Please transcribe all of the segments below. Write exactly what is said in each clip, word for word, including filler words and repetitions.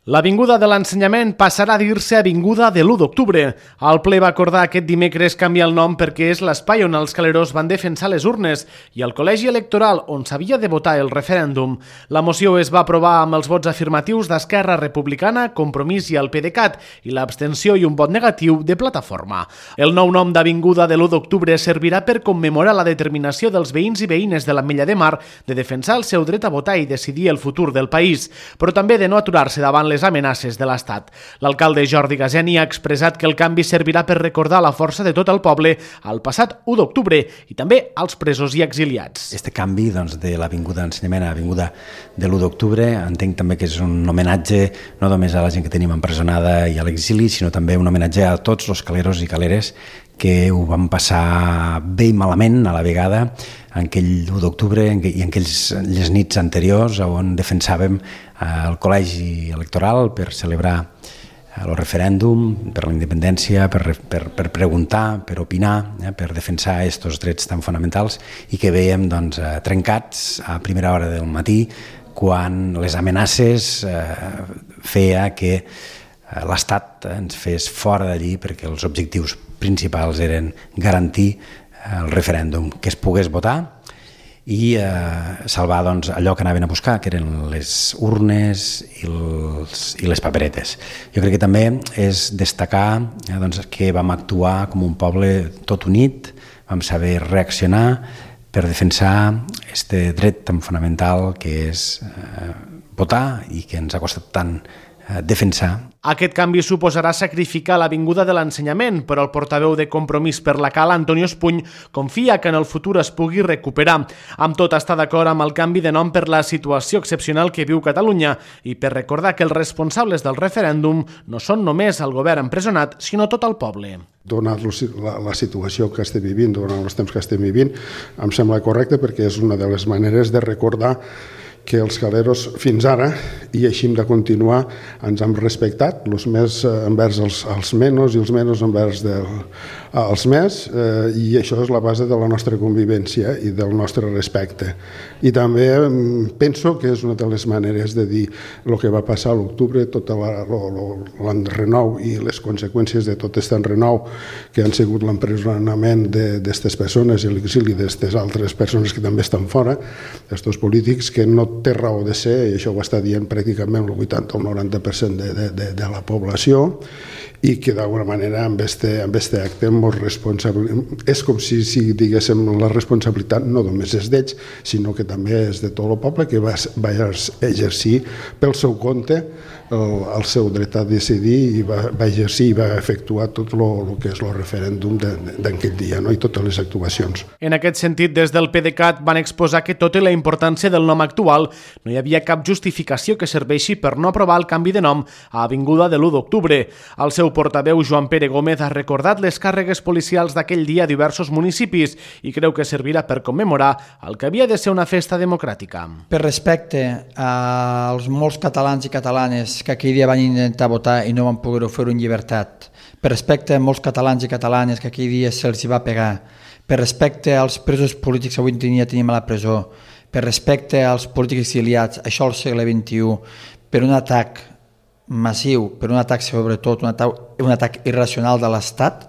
L'Avinguda de l'Ensenyament passarà a dir-se Avinguda de l'u d'octubre. El ple va acordar aquest dimecres canviar el nom perquè és l'espai on els caleros van defensar les urnes i el col·legi electoral on s'havia de votar el referèndum. La moció es va aprovar amb els vots afirmatius d'Esquerra Republicana, Compromís i el PDeCAT i l'abstenció i un vot negatiu de Plataforma. El nou nom d'Avinguda de l'u d'octubre servirà per commemorar la determinació dels veïns i veïnes de l'Ametlla de Mar de defensar el seu dret a votar i decidir el futur del país, però també de no aturar-se davant les amenaces de l'Estat. L'alcalde Jordi Gazeni ha expressat que el canvi servirà per recordar la força de tot el poble al passat u d'octubre i també als presos i exiliats. Este canvi doncs, de l'Avinguda d'Ensenyament a l'Avinguda de l'u d'octubre entenc també que és un homenatge no només a la gent que tenim empresonada i a l'exili, sinó també un homenatge a tots els caleros i caleres que ho van passar bé i malament a la vegada en aquell u d'octubre i en aquells les nits anteriors on defensàvem el col·legi electoral per celebrar el referèndum, per la independència, per, per, per preguntar, per opinar, eh, per defensar aquests drets tan fonamentals i que veiem doncs, trencats a primera hora del matí quan les amenaces eh, feia que l'Estat ens fes fora d'allí perquè els objectius principals eren garantir el referèndum, que es pogués votar i eh, salvar doncs, allò que anaven a buscar, que eren les urnes i, els, i les paperetes. Jo crec que també és destacar eh, doncs, que vam actuar com un poble tot unit, vam saber reaccionar per defensar aquest dret tan fonamental que és eh, votar i que ens ha costat tant eh, defensar. Aquest canvi suposarà sacrificar l'Avinguda de l'Ensenyament, però el portaveu de Compromís per la Cala, Antonio Espuny, confia que en el futur es pugui recuperar. Amb tot, està d'acord amb el canvi de nom per la situació excepcional que viu Catalunya i per recordar que els responsables del referèndum no són només el govern empresonat, sinó tot el poble. Donat la, la situació que estem vivint, durant els temps que estem vivint, em sembla correcte perquè és una de les maneres de recordar que els caleros fins ara, i així hem de continuar, ens hem respectat, els més envers els, els menys i els menys envers del, els més, eh, i això és la base de la nostra convivència i del nostre respecte. I també penso que és una de les maneres de dir el que va passar a l'octubre, tot l'enrenou i les conseqüències de tot aquest enrenou que han sigut l'empresonament d'aquestes persones i l'exili d'aquestes altres persones que també estan fora, aquests polítics que no té raó de ser, i això ho està dient pràcticament el vuitanta o el noranta per cent de, de, de, de la població, i que d'alguna manera amb este, amb este acte molt responsable, és com si, si diguéssim la responsabilitat no només és d'ells, sinó que també és de tot el poble que va, va exercir pel seu compte el, el seu dret a decidir i va, va exercir i va efectuar tot el que és el referèndum d'aquell dia, no? I totes les actuacions. En aquest sentit, des del PDeCAT van exposar que tot i la importància del nom actual no hi havia cap justificació que serveixi per no aprovar el canvi de nom a Avinguda de l'u d'octubre. El seu portaveu, Joan Pere Gómez, ha recordat les càrregues policials d'aquell dia a diversos municipis i creu que servirà per commemorar el que havia de ser una festa democràtica. Per respecte als molts catalans i catalanes que aquell dia van intentar votar i no van poder fer-ho en llibertat, per respecte a molts catalans i catalanes que aquell dia se'ls va pegar, per respecte als presos polítics que avui en dia tenim a la presó, per respecte als polítics exiliats, això al segle vint-i-u, per un atac massiu, per un atac sobretot, un atac, un atac irracional de l'Estat,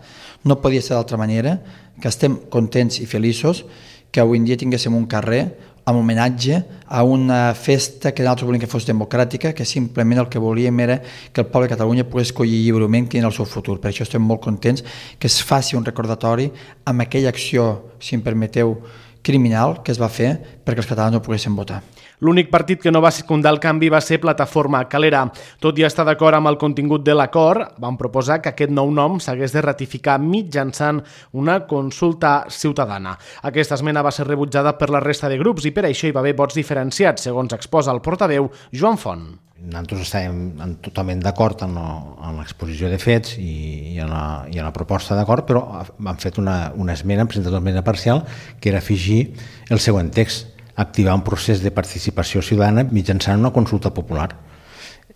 no podia ser d'altra manera, que estem contents i feliços que avui en dia tinguéssim un carrer amb homenatge a una festa que nosaltres volíem que fos democràtica, que simplement el que volíem era que el poble de Catalunya pogués escollir lliurement quin era el seu futur. Per això estem molt contents que es faci un recordatori amb aquella acció, si em permeteu, criminal que es va fer perquè els catalans no poguessin votar. L'únic partit que no va secundar el canvi va ser Plataforma Calera. Tot i estar d'acord amb el contingut de l'acord, van proposar que aquest nou nom s'hagués de ratificar mitjançant una consulta ciutadana. Aquesta esmena va ser rebutjada per la resta de grups i per això hi va haver vots diferenciats, segons exposa el portaveu Joan Font. Nosaltres estàvem totalment d'acord en l'exposició de fets i en la, i en la proposta d'acord, però han fet una, una esmena, han presentat una esmena parcial, que era afegir el següent text: activar un procés de participació ciutadana mitjançant una consulta popular.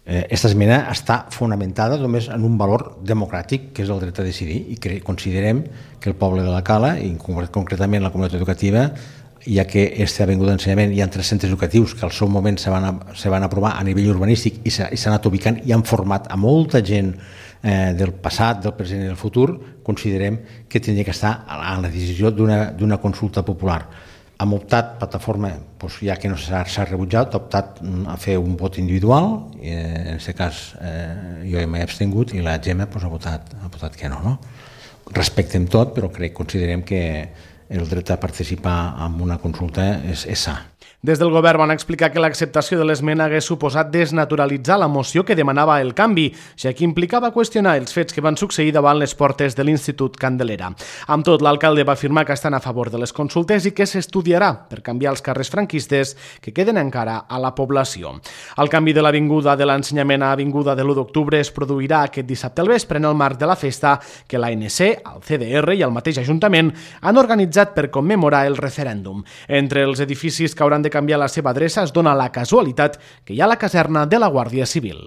Aquesta esmena està fonamentada només en un valor democràtic, que és el dret a decidir, i considerem que el poble de la Cala, i concretament la comunitat educativa, ja que aquesta avinguda d'ensenyament hi ha tres centres educatius que al seu moment se van, a, se van aprovar a nivell urbanístic i s'ha anat ubicant i han format a molta gent eh, del passat, del present i del futur, considerem que hauria que estar a la decisió d'una consulta popular. Hem optat, plataforma, doncs, ja que no s'ha rebutjat, ha optat a fer un vot individual, i en aquest cas eh, jo m'he abstingut i la Gemma doncs, ha, votat, ha votat que no, no. Respectem tot, però crec, considerem que el dret a participar en una consulta és, és sa. Des del govern van explicar que l'acceptació de l'esmena hagués suposat desnaturalitzar la moció que demanava el canvi, ja que implicava qüestionar els fets que van succeir davant les portes de l'Institut Candelera. Amb tot, l'alcalde va afirmar que estan a favor de les consultes i que s'estudiarà per canviar els carrers franquistes que queden encara a la població. El canvi de l'avinguda de l'ensenyament a avinguda de l'u d'octubre es produirà aquest dissabte al vespre en el marc de la festa que l'A N C, el C D R i el mateix Ajuntament han organitzat per commemorar el referèndum. Entre els edificis que hauran de canviar la seva adreça es dona la casualitat que hi ha la caserna de la Guàrdia Civil.